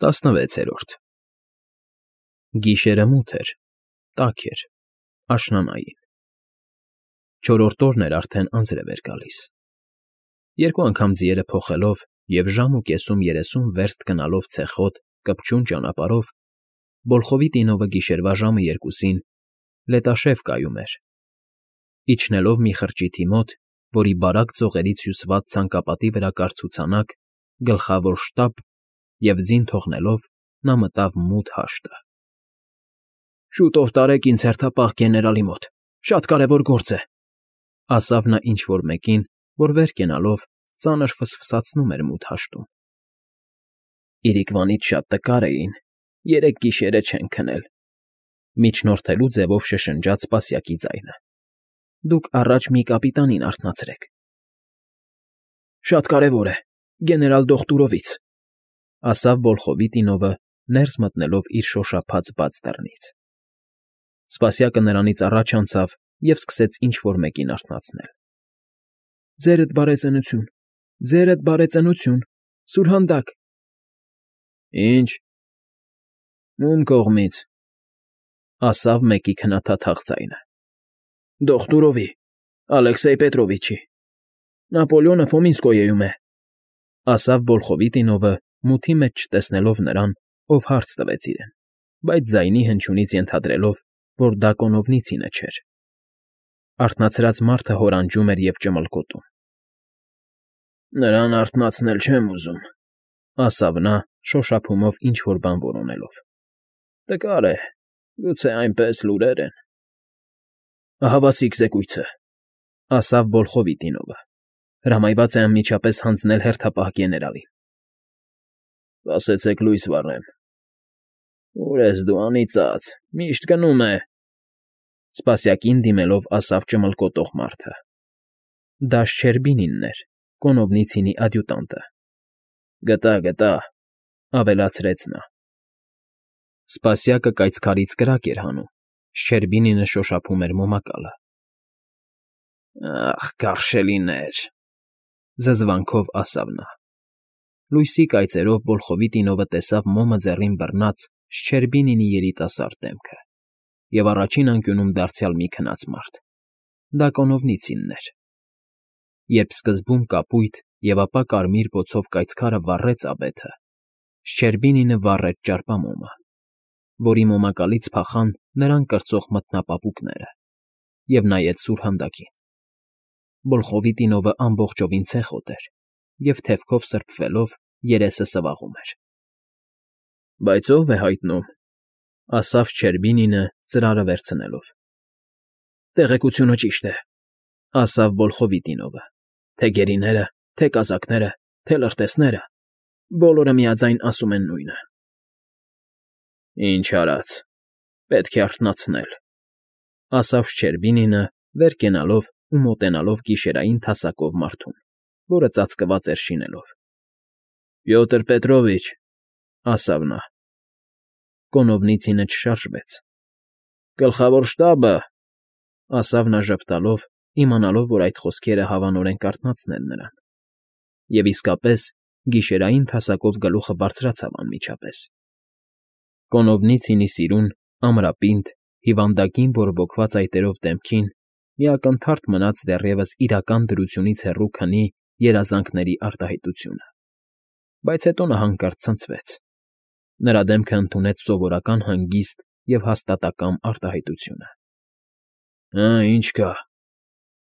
16-րդ Գիշերը մութ էր, տաք էր, աշնանային, չորրորդ օրն էր արդեն անձրև էր գալիս, երկու անգամ ձիերը փոխելով և ժամ ու կեսում 30 վերստ գնալով ցեխոտ, կպչուն ճանապարհով, Բոլխովի տինովը գիշերվա ժամը 2-ին լետաշև կայում էր, իջնելով մի խրճիթի մոտ, որի բարակ ծողերից հյուսված ցանկապատի վրա կար ցուցանակ, գլխավոր շտապ և ձին թողնելով նա մտավ մութ հաշտը։ ֊ Շուտով տարեք ինձ հերթապահ գեներալի մոտ, շատ կարևոր գործ է, ֊ ասավ նա ինչ֊որ մեկին, որ վեր կենալով ծանր ֆսֆսացնում էր մութ հաշտում։ ֊ Իրիկվանից շատ տկար էին, երեք գիշերը չեն քնել, ֊ միջնորդելու ձևով շշնջաց Սպասյակի ձայնը։ ֊ Դուք առաջ մի կապիտանին արթնացրեք։ ֊ Շատ կարևոր է, գեներալ Դոխտուրովից, ֊ ասավ Բոլխովի տինովը, ներս մտնելով իր շոշափած բաց դռնից։ Սպասյակը նրանից առաջ անցավ և սկսեց ինչ֊որ մեկին արթնացնել։ ֊ Ձերդ բարեծնություն, ձերդ բարեծնություն, սուրհանդակ… ֊ Ի՞նչ… Ո՞ւմ կողմից, ֊ ասավ մեկի քնաթաթախ ձայնը։ ֊ Դոխտուրովի, Ալեքսեյ Պետրովիչի… Նապոլեոնը Ֆոմինսկոյեում է, ֊ ասավ Բոլխովի տինովը, մութի մեջ չտեսնելով նրան, ով հարց տվեց իրեն, բայց ձայնի հնչյունից ենթադրելով, որ դա Կոնովնիցինը չէր։ Արթնացրած մարդը հորանջում էր և ճմլկոտում։ ֊ Նրան արթնացնել չեմ ուզում, ֊ ասավ նա, շոշափումով ինչ֊որ բան որոնելով։ ֊ Տկար է, գուցե այնպես լուրեր են… ֊ Ահավասիկ զեկույցը, ֊ ասավ Բոլխովի տինովը, հրամայված է անմիջապես հանձնել հերթապահ գեներալին։ ֊ Սպասեցեք լույս վառեմ… Ո՞ւր ես դու, անիծած, միշտ գնում է… Սպասյակին դիմելով ասավ ճմլկոտող մարդը։ Դա Շչերբինինն էր, Կոնովնիցինի ադյուտանտը։ ֊ Գտա, ֊ ավելացրեց նա։ Սպասյակը կայծքարից կրակ էր հանում, Շչերբինինը շոշափում էր մոմակալը։ ֊ Ախ, կարշելիներ, ֊ զզվանքով ասավ նա։ Լույսի կայծերով Բոլխովի տինովը տեսավ մոմը ձեռին բռնած Շչերբինինի երիտասարդ դեմքը և առաջին անկյունում դարձյալ մի քնած մարդ։ Դա Կոնովնիցինն էր։ Երբ սկզբում կապույտ և ապա կարմիր բոցով կայծքարը վառեց աբեթը, Շչերբինինը վառեց ճարպամոմը, որի մոմակալից փախան նրան կրծող մթնապապուկները, և նայեց սուրհանդակին։ Բոլխովի տինովը ամբողջովին ցեխոտ էր և թևքով սրբվելով երեսը սվաղում էր։ ֊ Բայց ո՞վ է հայտնում, ֊ ասավ Շչերբինինը, ծրարը վերցնելով։ ֊ Տեղեկությունը ճիշտ է, ֊ ասավ Բոլխովի տինովը, թե գերիները, թե կազակները, թե լրտեսները, բոլորը միաձայն ասում են նույնը։ ֊ Ինչ արած, պետք է արթնացնել, ֊ ասավ Շչերբինինը, վեր կենալով ու մոտենալով գիշերային թասակով մարդուն, որը ծածկված էր շինելով։ ֊ Պյոտր Պետրովիչ, ֊ ասավ նա։ Կոնովնիցինը չշարժվեց։ ֊ Գլխավոր շտաբը, ֊ ասավ նա ժպտալով, իմանալով, որ այդ խոսքերը հավանորեն կարթնացնեն նրան։ Եվ իսկապես, գիշերային թասակով գլուխը բարձրացավ անմիջապես։ Կոնովնիցինի սիրուն, ամրապինդ, հիվանդագին բորբոքված այտերով դեմքին մի ակնթարթ մնաց դեռևս իրական դրությունից հեռու քնի երազանքների արտահայտությունը, բայց հետո նա հանկարծ ցնցվեց։ Նրա դեմքը ընդունեց սովորական հանգիստ և հաստատակամ արտահայտությունը։ ֊ Հը, ինչ կա,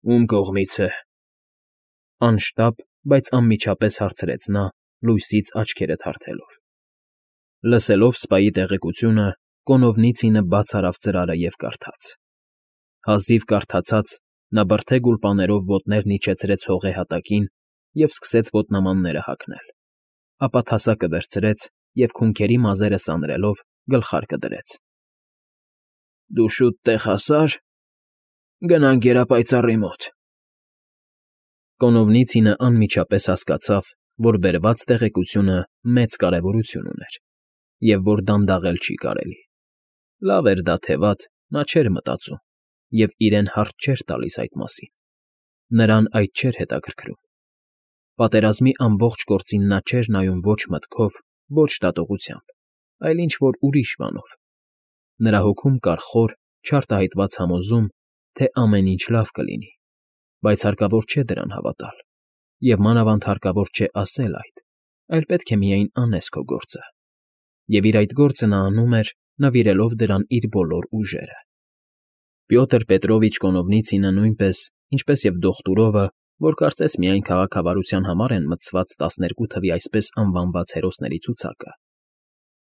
ո՞ւմ կողմից է, ֊ անշտապ, բայց անմիջապես հարցրեց նա, լույսից աչքերը թարթելով։ Լսելով սպայի տեղեկությունը, Կոնովնիցինը բաց արավ ծրարը և կարդաց։ Հազիվ կարդացած՝ նա բրդե գուլպաներով ոտներն իջեցրեց հողե հատակին և սկսեց ոտնամանները հագնել, ապա թասակը վերցրեց և քունքերի մազերը սանրելով գլխարկը դրեց։ ֊ Դու շուտ տեղ հասա՞ր, գնանք գերապայծառի մոտ… Կոնովնիցինը անմիջապես հասկացավ, որ բերված տեղեկությունը մեծ կարևորություն ուներ և որ դանդաղել չի կարելի։ Լավ էր դա թե վատ, նա չէր մտածում և իրեն հարց չէր տալիս այդ մասին։ Նրան այդ չէր հետաքրքրում։ Պատերազմի ամբողջ գործին նա չէր նայում ոչ մտքով ոչ դատողությամբ, այլ ինչ֊որ ուրիշ բանով։ Նրա հոգում կար խոր, չարտահայտված համոզում, թե ամեն ինչ լավ կլինի, բայց հարկավոր չէ դրան հավատալ, և մանավանդ հարկավոր չէ ասել այդ, այլ պետք է միայն անես քո գործը։ Եվ իր այդ գործը նա անում էր, նվիրելով դրան իր բոլոր ուժերը։ Պյոտր Պետրովիչ Կոնովնիցինը նույնպես, ինչպես և Դոխտուրովը, որ կարծես միայն քաղաքավարության համար են մտցված 12 թվի այսպես անվանված հերոսների ցուցակը,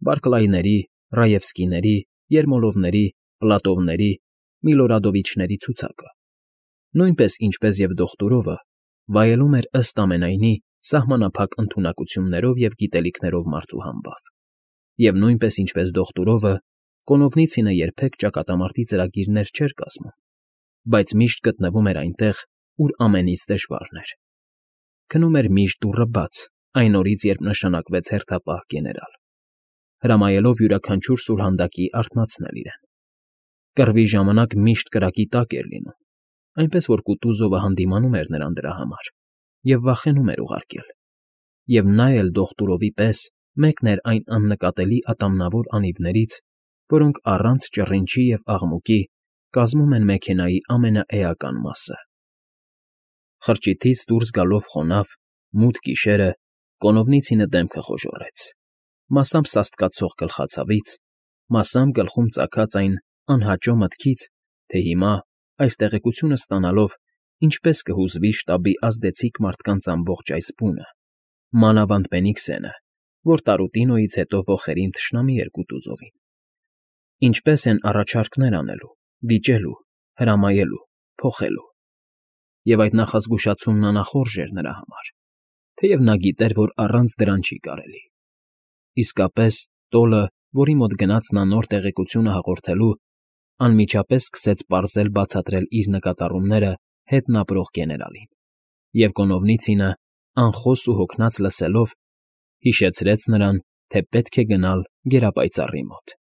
Բարքլայների, Ռաևսկիների, Երմոլովների, Պլատովների, Միլորադովիչների ցուցակը, նույնպես ինչպես և Դոխտուրովը, վայելում էր ըստ ամենայնի սահմանափակ ընդունակություններով և գիտելիքներով մարդու համբավ, և նույնպես ինչպես Դոխտուրովը, Կոնովնիցինը երբեք ճակատամարտի ծրագիրներ չէր կազմում, բայց միշտ գտնվում էր այնտեղ, ուր ամենից դժվարն էր։ Քնում էր միշտ դուռը բաց, այն օրից, երբ նշանակվեց հերթապահ գեներալ, հրամայելով յուրաքանչյուր սուրհանդակի արթնացնել իրեն։ Կռվի ժամանակ միշտ կրակի տակ էր լինում, այնպես որ Կուտուզովը հանդիմանում էր նրան դրա համար և վախենում էր ուղարկել, և նա էլ Դոխտուրովի պես մեկն էր այն աննկատելի ատամնավոր անիվներից, որոնք առանց ճռինչի և աղմուկի կազմում են մեքենայի ամենաէական մասը։ Խրճիթից դուրս գալով խոնավ, մութ գիշերը Կոնովնիցինը դեմքը խոժոռեց, մասամբ սաստկացող գլխացավից, մասամբ գլխում ծագած այն անհաճո մտքից, թե հիմա, այս տեղեկությունը ստանալով, ինչպես կհուզվի շտաբի ազդեցիկ մարդկանց ամբողջ այս բունը, մանավանդ Բենիքսենը, որ Տարուտինոյից հետո ոխերիմ թշնամի էր Կուտուզովին։ Ինչպես են առաջարկներ անելու, վիճելու, հրամայելու, փոխելու։ Եվ այդ նախազգուշացումն անախորժ էր նրա համար, թեև նա գիտեր, որ առանց դրան չի կարելի։ Իսկապես, տոլը, որի մոտ գնաց նա նոր տեղեկությունը հաղորդելու, անմիջապես սկսեց պարզել֊բացատրել իր նկատառումները հետն ապրող գեներալին, և Կոնովնիցինը, անխոս ու հոգնած լսելով, հիշեցրեց նրան, թե պետք է գնալ գերապայծառի մոտ։